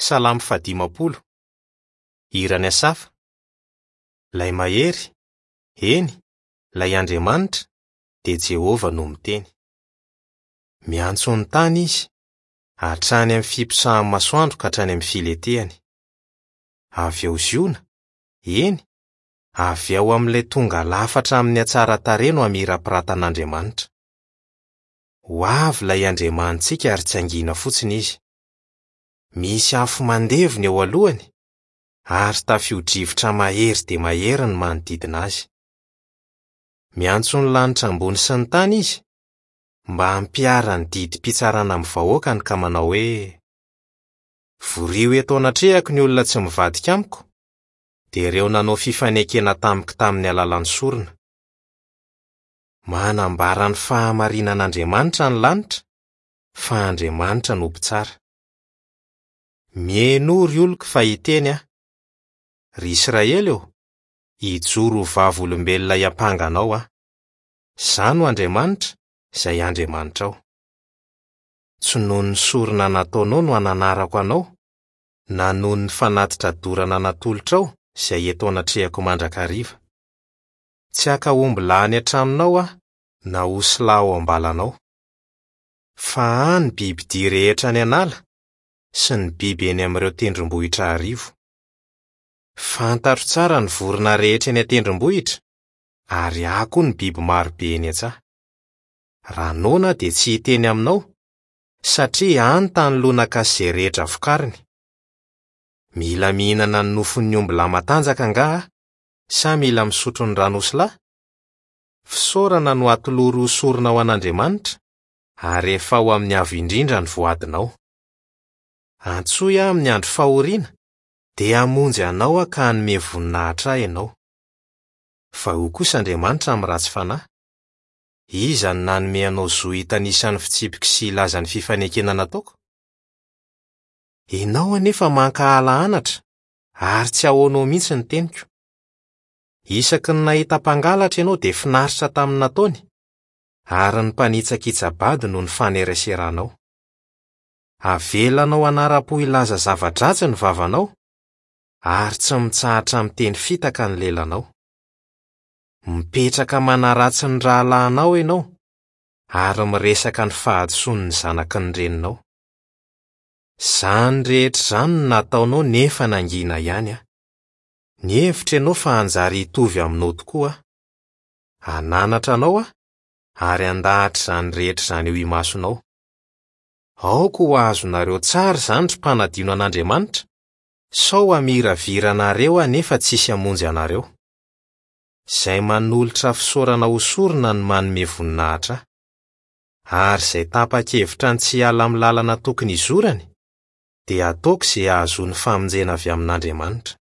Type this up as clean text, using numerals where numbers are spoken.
Salamo fahadimampolo. Hiran'i Asafa. Ilay Mahery, eny, ilay Andriamanitra, dia Jehovah no miteny. Miantso ny tany izy, hatrany amin'ny fiposahan'ny masoandro ka hatrany amin'ny filetehany. Avy ao Ziona, eny, avy ao amin'ilay tonga lafatra amin'ny hatsaran-tarehy no hamirapiratan'Andriamanitra. Ho avy ilay Andriamanitsika ary tsy hangina fotsiny izy. Misy afo mandevona eo alohany, ary tafio-drivotra mahery dia mahery ny manodidina azy. Miantso ny lanitra ambony sy ny tany izy, mba hampiharany didim-pitsarana amin'ny vahoakany ka manao hoe, Vorio eto anatrehako ny olona tsy mivadika amiko, dia ireo nanao fifanekena tamiko tamin'ny alalan'ny sorona. Manambara ny fahamarinan'Andriamanitra ny lanitra, fa Andriamanitra no mpitsara. Mihainoa, ry oloko, fa hiteny aho. Ry Israely ô, hijoro ho vavolombelona hiampanga anao aho. Izaho no Andriamanitra, izay Andriamanitrao. Tsy noho ny sorona nataonao no ananarako anao, na noho ny fanatitra dorana natolotrao izay eto anatrehako mandrakariva. Tsy haka ombilahy any an-tranonao aho, na osilahy ao am-balanao. Fa ahy ny bibidia rehetra any an'ala sy ny biby eny amin'ireo tendrombohitra arivo. Fantatro tsara ny vorona rehetra eny an-tendrombohitra, ary ahy koa ny biby maro be eny an-tsaha. Raha noana aho dia tsy hiteny aminao, satria ahy ny tany lonaka sy izay rehetra vokariny. Mila mihinana ny nofon'ny ombilahy matanjaka angaha aho, sa mila misotro ny ran'osilahy? Fisaorana no atolory ho sorona ho an'Andriamanitra, ary efao amin'ny Avo Indrindra ny voadinao. Antsoy aho amin'ny andro fahoriana, dia hamonjy anao aho ka hanome voninahitra ahy ianao. Fa hoy kosa Andriamanitra amin'ny ratsy fanahy, Iza no nanome anao zo hitanisa ny fitsipiko sy hilaza ny fifanekena nataoko? Ianao anefa mankahala anatra, ary tsy ahoanao mihitsy ny teniko. Isaky ny nahita mpangalatra ianao dia finaritra tamin'ny nataony, ary ny mpanitsakitsa-bady no nifaneraseranao. Avelanao hanara-po hilaza zava-dratsy ny vavanao, ary tsy mitsahatra miteny fitaka ny lelanao. Mipetraka manaratsy ny rahalahinao ianao, ary miresaka ny fahadisoan'ny zanaky ny reninao. Izany rehetra izany no nataonao nefa nangina ihany aho. Nihevitra ianao fa hanjary hitovy aminao tokoa aho. Hananatra anao aho, ary handahatra izany rehetra izany eo imasonao. Aoka ho azonareo tsara izany ry mpanadino an'Andriamanitra, sao hamiravira anareo aho nefa tsy hisy hamonjy anareo. Izay manolotra fisaorana ho sorona no manome voninahitra ahy. Ary izay tapa-kevitra ny tsy hiala amin'ny lalana tokony hizorany, dia ataoko izay hahazoany famonjena avy amin'Andriamanitra.